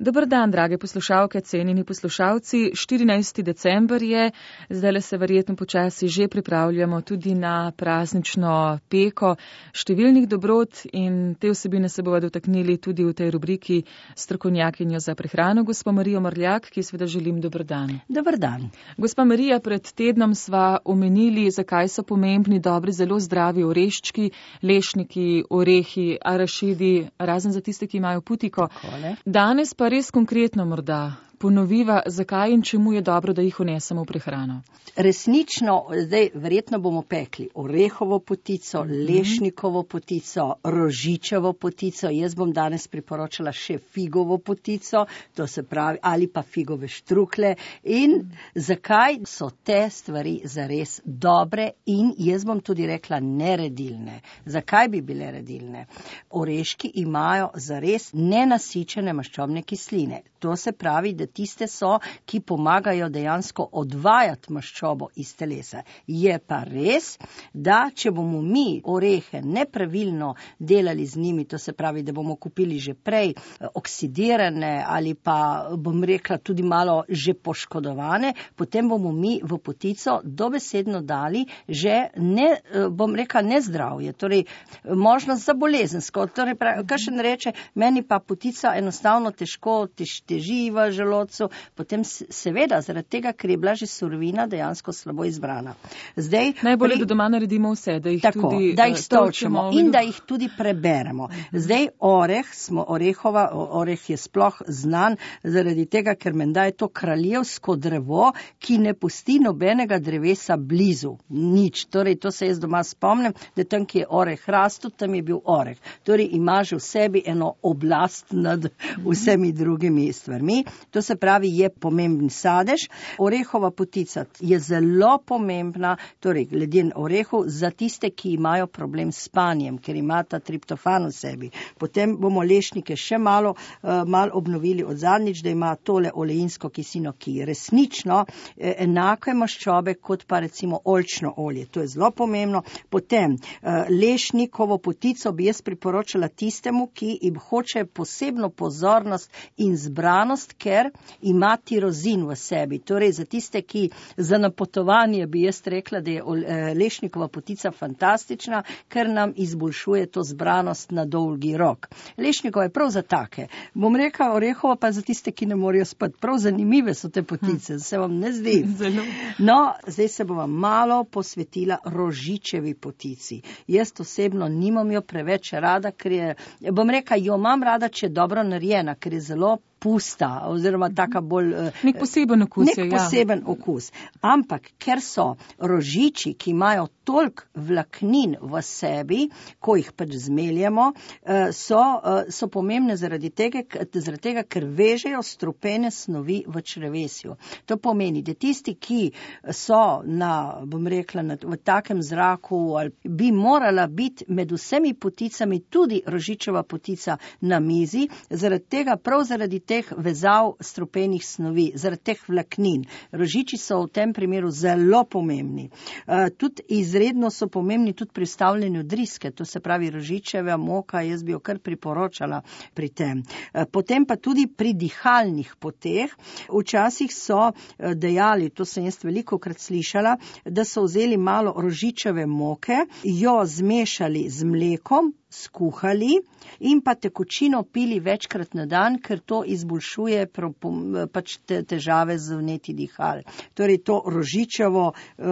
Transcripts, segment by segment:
Dober dan, drage poslušalke, cenjeni poslušalci. 14. december je, zdaj se verjetno počasi že pripravljamo tudi na praznično peko številnih dobrot in te vsebine se bova dotaknili tudi v tej rubriki strokovnjakinjo za prehrano, gospa Marijo Mrljak, ki seveda želim dober dan. Dober dan. Gospa Marija, pred tednom sva omenili, zakaj so pomembni dobri, zelo zdravi oreščki, lešniki, orehi, arašidi, razen za tiste, ki imajo putiko. Danes pa res konkretno morda ponoviva, zakaj in čemu je dobro, da jih vnesemo v prehrano. Resnično, zdaj verjetno bomo pekli orehovo potico, lešnikovo potico, rožičevo potico, jaz bom danes priporočala še figovo potico, to se pravi, ali pa figove štrukle. In zakaj so te stvari zares dobre in jaz bom tudi rekla neredilne. Zakaj bi bile redilne? Oreški imajo zares nenasičene maščobne kisline. To se pravi, da tiste so, ki pomagajo dejansko odvajati maščobo iz telesa. Je pa res, da če bomo mi orehe nepravilno delali z njimi, to se pravi, da bomo kupili že prej oksidirane ali pa, bom rekla, tudi malo že poškodovane, potem bomo mi v potico dobesedno dali že bom rekla, nezdravje, torej možnost za bolezensko. Torej, kakšen reče, meni pa potica enostavno težko teži v želodcu, potem seveda zaradi tega, ker je bila že surovina dejansko slabo izbrana. Zdaj, najbolje, da doma naredimo vse, da jih tako, tudi da jih stolčemo in da jih tudi preberemo. Zdaj oreh je sploh znan zaradi tega, ker menda je to kraljevsko drevo, ki ne pusti nobenega drevesa blizu. Nič. Torej, to se jaz doma spomnim, da tam, ki je oreh rastel, tam je bil oreh. Torej, ima že v sebi eno oblast nad vsemi drugimi stvarmi. To se pravi, je pomemben sadež. Orehova potica je zelo pomembna, torej glede orehu, za tiste, ki imajo problem s spanjem, ker imata triptofan v sebi. Potem bomo lešnike še malo obnovili od zadnjič, da ima tole oleinsko kislino, ki je resnično enake maščobe kot pa recimo oljčno olje. To je zelo pomembno. Potem lešnikovo potico bi jaz priporočala tistemu, ki jim hoče posebno pozornost in zbranost, ker ima tirozin v sebi. Torej, za tiste, ki za napotovanje bi jaz rekla, da je lešnikova potica fantastična, ker nam izboljšuje to zbranost na dolgi rok. Lešnikova je prav za take. Bom rekla, orehova pa za tiste, ki ne morejo spati. Prav zanimive so te potice, se vam ne zdi? Zelo. No, zdaj se bova malo posvetila rožičevi potici. Jaz osebno nimam jo preveč rada, ker je, bom rekla, jo imam rada, če je dobro narejena, ker je zelo pusta, oziroma taka bolj... Nek poseben okus. Nek poseben okus. Ampak, ker so rožiči, ki imajo toliko vlaknin v sebi, ko jih pač zmeljemo, so pomembne zaradi tega, ker vežejo strupene snovi v črevesju. To pomeni, da tisti, ki so bom rekla, v takem zraku, bi morala biti med vsemi poticami tudi rožičeva potica na mizi, prav zaradi teh vezav strupenih snovi, zaradi teh vlaknin. Rožiči so v tem primeru zelo pomembni. Tudi izredno so pomembni tudi pri vstavljanju driske, to se pravi rožičeva moka, jaz bi jo kar priporočala pri tem. Potem pa tudi pri dihalnih poteh. Včasih so dejali, to sem jaz velikokrat slišala, da so vzeli malo rožičeve moke, jo zmešali z mlekom, skuhali in pa tekočino pili večkrat na dan, ker to izboljšuje pač težave z vnetji dihal. Torej to rožičevo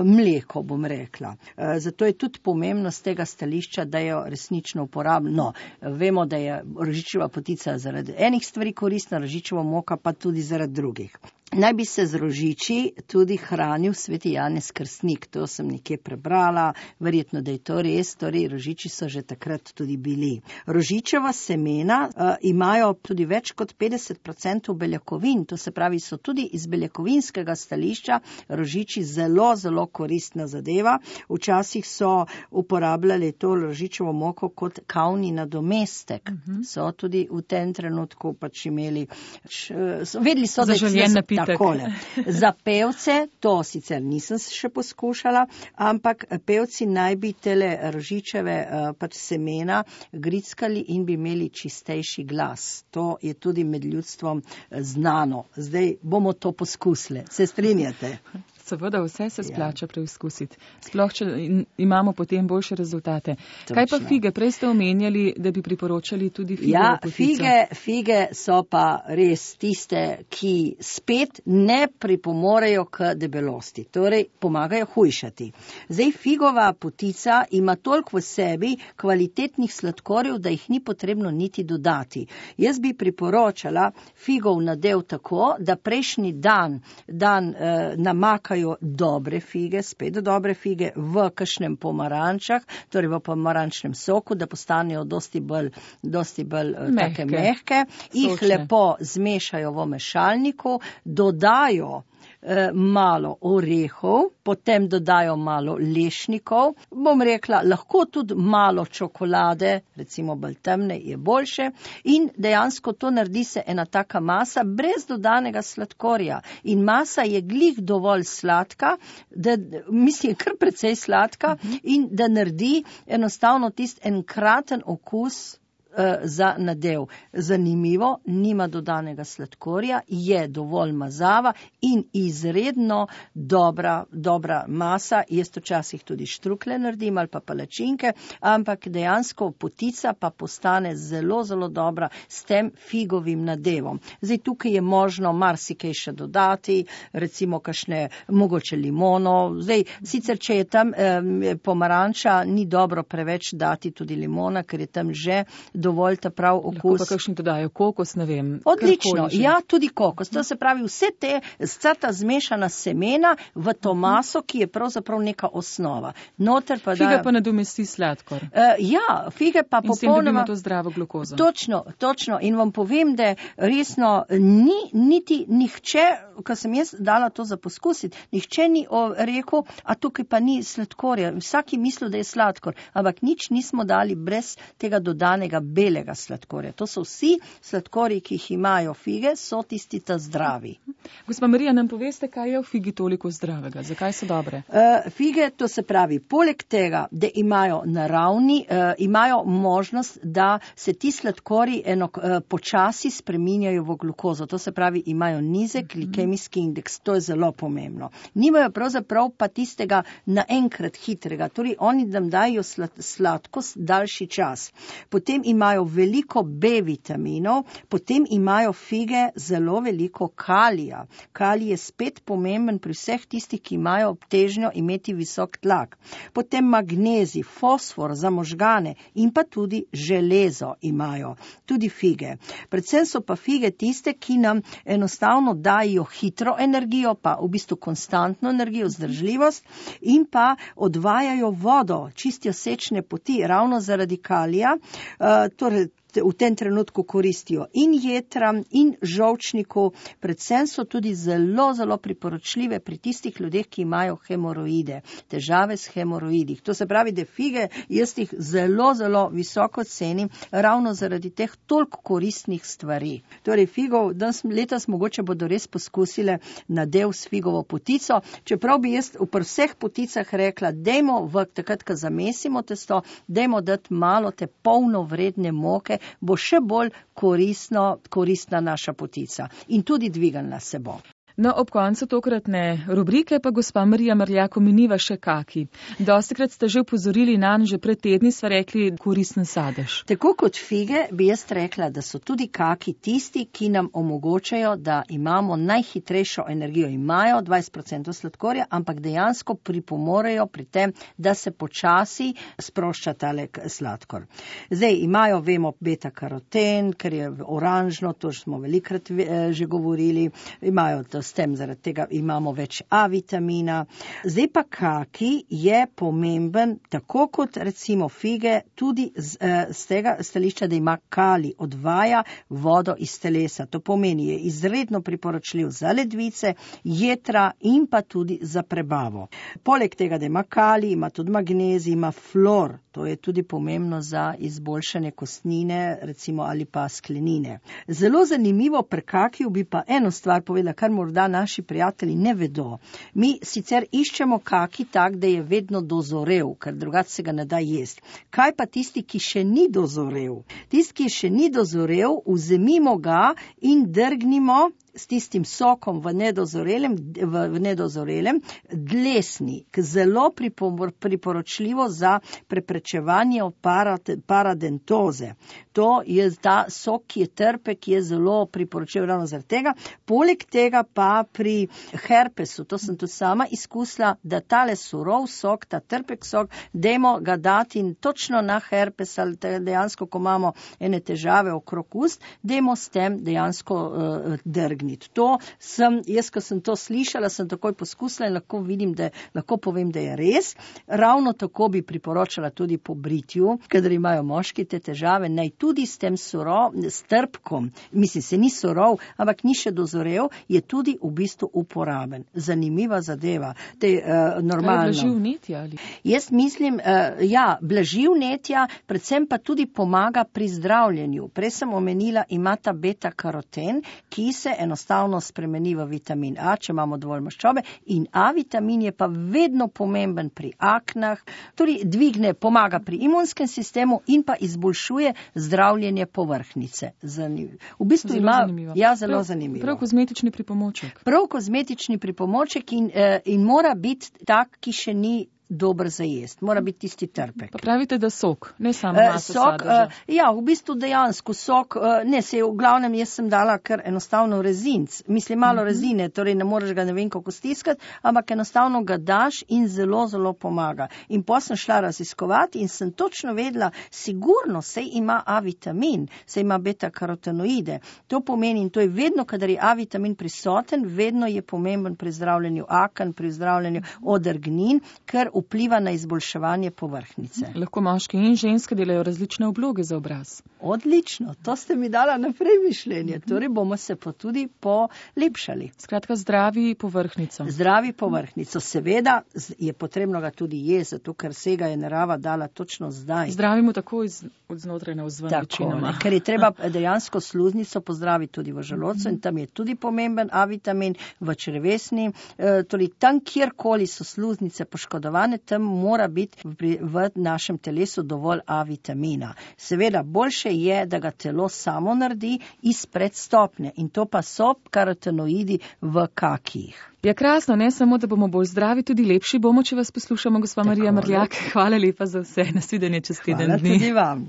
mleko, bom rekla. Zato je tudi pomembno z tega stališča, da jo resnično uporabljamo. No, vemo, da je rožičeva potica zaradi enih stvari koristna, rožičeva moka pa tudi zaradi drugih. Naj bi se z rožiči tudi hranil sveti Janez Krstnik. To sem nekje prebrala, verjetno, da je to res, torej rožiči so že takrat tudi bili. Rožičeva semena imajo tudi več kot 50% beljakovin, to se pravi, so tudi iz beljakovinskega stališča rožiči zelo, zelo koristna zadeva. Včasih so uporabljali to rožičevo moko kot kavni nadomestek. So tudi v tem trenutku pač imeli, vedeli so, zaželjen napitek. Takole. Za pevce, to sicer nisem še poskušala, ampak pevci naj bi tele rožičeve pač semena grickali in bi imeli čistejši glas. To je tudi med ljudstvom znano. Zdaj bomo to poskusili. Se strinjate? Seveda, vse se splača preizkusiti. Sploh, če imamo potem boljše rezultate. Točno. Kaj pa fige? Prej ste omenjali, da bi priporočali tudi figovo potico. Fige so pa res tiste, ki spet ne pripomorejo k debelosti. Torej, pomagajo hujšati. Zdaj, figova potica ima toliko v sebi kvalitetnih sladkorjev, da jih ni potrebno niti dodati. Jaz bi priporočala figov nadev tako, da prejšnji dan namakajo dobre fige, spet dobre fige v kakšnem pomarančah, torej v pomarančnem soku, da postanejo dosti bolj take mehke, jih lepo zmešajo v mešalniku, dodajo malo orehov, potem dodajo malo lešnikov, bom rekla, lahko tudi malo čokolade, recimo bolj temne je boljše, in dejansko to naredi se ena taka masa brez dodanega sladkorja. In masa je glih dovolj sladka, mislim, kar precej sladka, in da naredi enostavno tist enkraten okus za nadev. Zanimivo, nima dodanega sladkorja, je dovolj mazava in izredno dobra masa. Jaz včasih tudi štrukle naredim ali pa palačinke, ampak dejansko potica pa postane zelo, zelo dobra s tem figovim nadevom. Zdaj, tukaj je možno marsikaj še dodati, recimo kakšne, mogoče limono. Zdaj, sicer, če je tam pomaranča, ni dobro preveč dati tudi limona, ker je tam že dovolj ta prav okus. Lahko pa kakšni dodajo kokos, ne vem. Odlično, ja, tudi kokos. To se pravi vse vsa ta zmešana semena v to maso, ki je pravzaprav neka osnova. Noter pa Figa pa nadomesti sladkor. Ja, fige pa popolnoma... In s tem dobimo to zdravo glukozo. Točno. In vam povem, da resno ni niti nihče, ko sem jaz dala to za poskusiti, nihče ni rekel, a tukaj pa ni sladkorja. Vsaki mislil, da je sladkor, ampak nič nismo dali brez tega dodanega belega sladkorja. To so vsi sladkorji, ki jih imajo fige, so tisti ta zdravi. Gospa Marija, nam poveste, kaj je v figi toliko zdravega? Zakaj so dobre? Fige, to se pravi, poleg tega, da imajo naravni, imajo možnost, da se ti sladkorji počasi spreminjajo v glukozo. To se pravi, imajo nizek glikemijski indeks. To je zelo pomembno. Nimajo pravzaprav pa tistega naenkrat hitrega. Torej, oni nam dajo sladkost daljši čas. Potem imajo veliko B vitaminov, potem imajo fige zelo veliko kalija. Kalij je spet pomemben pri vseh tistih, ki imajo težnjo imeti visok tlak. Potem magnezij, fosfor za možgane in pa tudi železo imajo. Tudi fige. Predvsem so pa fige tiste, ki nam enostavno dajo hitro energijo, pa v bistvu konstantno energijo, vzdržljivost in pa odvajajo vodo, čistijo sečne poti, ravno zaradi kalija. Torej, v tem trenutku koristijo in jetram, in žolčniku, predvsem so tudi zelo, zelo priporočljive pri tistih ljudeh, ki imajo hemoroide, težave s hemoroidi. To se pravi, da fige jaz jih zelo, zelo visoko cenim, ravno zaradi teh toliko koristnih stvari. Torej, figov, letos mogoče bodo res poskusile nadev s figovo potico, čeprav bi jaz v vseh poticah rekla, dajmo takrat, ko zamesimo testo, dajmo dati malo te polnovredne moke, bo še bolj koristna naša potica in tudi dvigalna se bo. No, ob koncu tokratne rubrike pa gospa Marija Marljak omeniva še kaki. Dostikrat ste že upozorili nanj, že pred tedni sva rekli koristen sadež. Tako kot fige bi jaz rekla, da so tudi kaki tisti, ki nam omogočajo, da imamo najhitrejšo energijo. Imajo 20% sladkorja, ampak dejansko pripomorejo pri tem, da se počasi sprošča tale sladkor. Zdaj imajo, vemo, beta-karoten, ker je oranžno, to smo velikrat že govorili, imajo to s tem, zaradi tega imamo več A vitamina. Zdaj pa kaki je pomemben, tako kot recimo fige, tudi z tega stališča, da ima kalij, odvaja vodo iz telesa. To pomeni, je izredno priporočljiv za ledvice, jetra in pa tudi za prebavo. Poleg tega, da ima kalij, ima tudi magnezij, ima flor. To je tudi pomembno za izboljšanje kostnine, recimo, ali pa sklenine. Zelo zanimivo pri kakiju bi pa eno stvar povedala, kar morda morda naši prijatelji ne vedo. Mi sicer iščemo kaki tak, da je vedno dozorel, ker drugače se ga ne da jesti. Kaj pa tisti, ki še ni dozorel? Tisti, ki še ni dozorel, vzemimo ga in drgnimo s tistim sokom v nedozorelem dlesni, zelo priporočljivo za preprečevanje paradentoze. To je ta sok, ki je trpek, je zelo priporočljiv ravno zaradi tega. Poleg tega pa pri herpesu, to sem tudi sama izkusila, da tale surov sok, ta trpek sok, dajmo ga dati in točno na herpes ali dejansko, ko imamo ene težave okrog ust, dajmo s tem dejansko drgniti. To sem, jaz, ko sem to slišala, sem takoj poskusila in lahko povem, da je res. Ravno tako bi priporočala tudi po britju, kadar imajo moški te težave, naj tudi s tem s trpkom, mislim, se ni surov, ampak ni še dozorel, je tudi v bistvu uporaben. Zanimiva zadeva. Normalno. Blaži vnetja ali? Jaz mislim, blaži vnetja, predvsem pa tudi pomaga pri zdravljenju. Prej sem omenila, ima ta beta-karoten, ki se enostavno spremeni v vitamin A, če imamo dovolj maščobe, in A vitamin je pa vedno pomemben pri aknah, tudi pomaga pri imunskem sistemu in pa izboljšuje zdravljenje povrhnjice. V bistvu zelo ima, zanimivo. Zelo zanimivo. Prav kozmetični pripomoček. Prav kozmetični pripomoček in mora biti tak, ki še ni dober za jest. Mora biti tisti trpek. Pa pravite, da sok, ne samo maso sadeža. V bistvu dejansko sok, v glavnem jaz sem dala kar enostavno rezinc. Mislim, malo rezine, torej ne moreš ga ne vem kako stiskati, ampak enostavno ga daš in zelo, zelo pomaga. In potem sem šla raziskovati in sem točno vedela, sigurno sej ima A vitamin, sej ima beta-karotenoide. To pomeni, in to je vedno, kadar je A vitamin prisoten, vedno je pomemben pri zdravljenju aken, pri zdravljenju odrgnin, ker vpliva na izboljševanje povrhnjice. Lahko moški in ženske delajo različne obloge za obraz. Odlično, to ste mi dala naprej mišljenje, torej bomo se pa tudi polepšali. Skratka, zdravi povrhnjico. Zdravi povrhnjico, seveda je potrebno ga tudi jesti, zato ker se ga je narava dala točno zdaj. Zdravimo tako od znotraj na vzven večinoma. Ker je treba dejansko sluznico pozdraviti tudi v želodcu in tam je tudi pomemben A vitamin, v črevesni, torej tam, kjerkoli so sluznice poškodovane, tam mora biti v našem telesu dovolj A vitamina. Seveda, boljše je, da ga telo samo naredi iz predstopne in to pa so karotenoidi v kakih. Ja, krasno, ne samo, da bomo bolj zdravi, tudi lepši bomo, če vas poslušamo, gospa Marija Mrljak. Hvala lepa za vse, nasvidenje čez teden dni. Hvala tudi vam.